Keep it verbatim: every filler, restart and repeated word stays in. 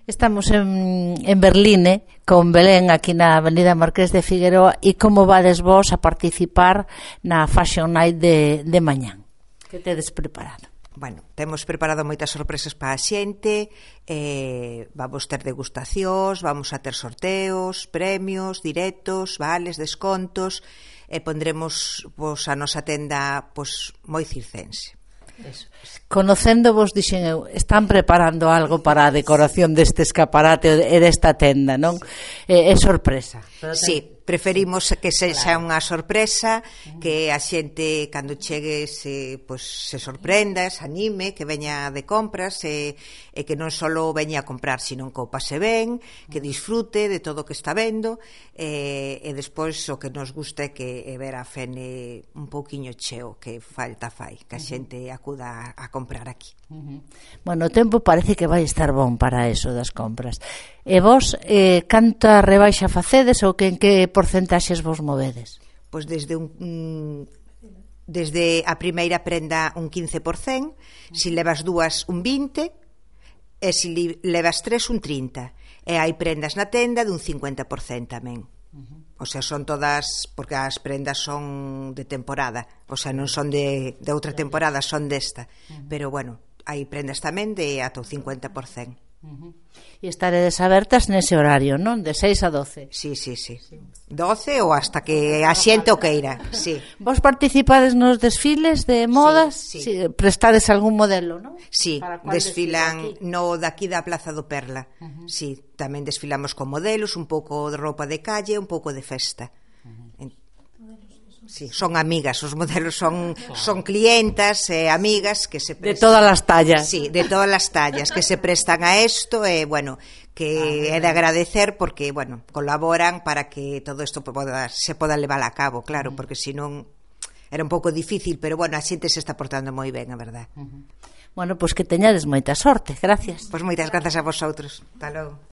Estamos en, en Berline con Belén aquí na Avenida Marqués de Figueroa. E como vades vos a participar na Fashion Night de, de mañán? Que tedes preparado? Bueno, temos preparado moitas sorpresas para a xente, eh, vamos ter degustacións, vamos a ter sorteos, premios, directos, vales, descontos, e pondremos pois, a nosa tenda pois, moi circense. Eso. Conocéndovos, dixen eu, están preparando algo para a decoración deste escaparate e desta tenda, non? É, é sorpresa. Sí, preferimos que sexa claro. Unha sorpresa, que a xente cando chegue se, pues, se sorprenda, se anime, que veña de compras e, e que non só veña a comprar, sino que o pase ben, que disfrute de todo o que está vendo e, e despois o que nos gusta é que é ver a Fene un pouquiño cheo, que falta fai, que a xente acuda a, a comprar aquí. Uh-huh. Bueno, o tempo parece que vai estar bon para eso das compras. E vos, eh, canta rebaixa facedes ou que en que porcentaxes vos movedes? Pois desde un, un desde a primeira prenda un quince por cento, se si levas dúas un vinte e se si levas tres un trinta, e hai prendas na tenda de un cincuenta por cento tamén. Uh-huh. O sea, son todas, porque as prendas son de temporada, o sea, non son de, de outra temporada, son desta, uh-huh. Pero bueno, hai prendas tamén de ata o cincuenta por cento. Uh-huh. E estaredes abertas nese horario, non? De seis a doce. Sí, sí, sí. doce ou hasta que a xente o queira, sí. Vos participades nos desfiles de modas? Sí, sí. Sí, prestades algún modelo, non? Sí, desfilan no daqui da Plaza do Perla. Uh-huh. Sí, tamén desfilamos con modelos, un pouco de roupa de calle, un pouco de festa. Uh-huh. Sí, son amigas, os modelos son son clientas e eh, amigas que se prestan, de todas as tallas. Sí, de todas as tallas que se prestan a isto e eh, bueno, que ah, é de agradecer porque, bueno, colaboran para que todo isto poda, se poda levar a cabo, claro, uh-huh. Porque senón era un pouco difícil, pero bueno, a xente se está portando moi ben, a verdad. Uh-huh. Bueno, pois pues que teñades moita sorte, gracias. Pois pues moitas grazas a vosotros. Hasta logo.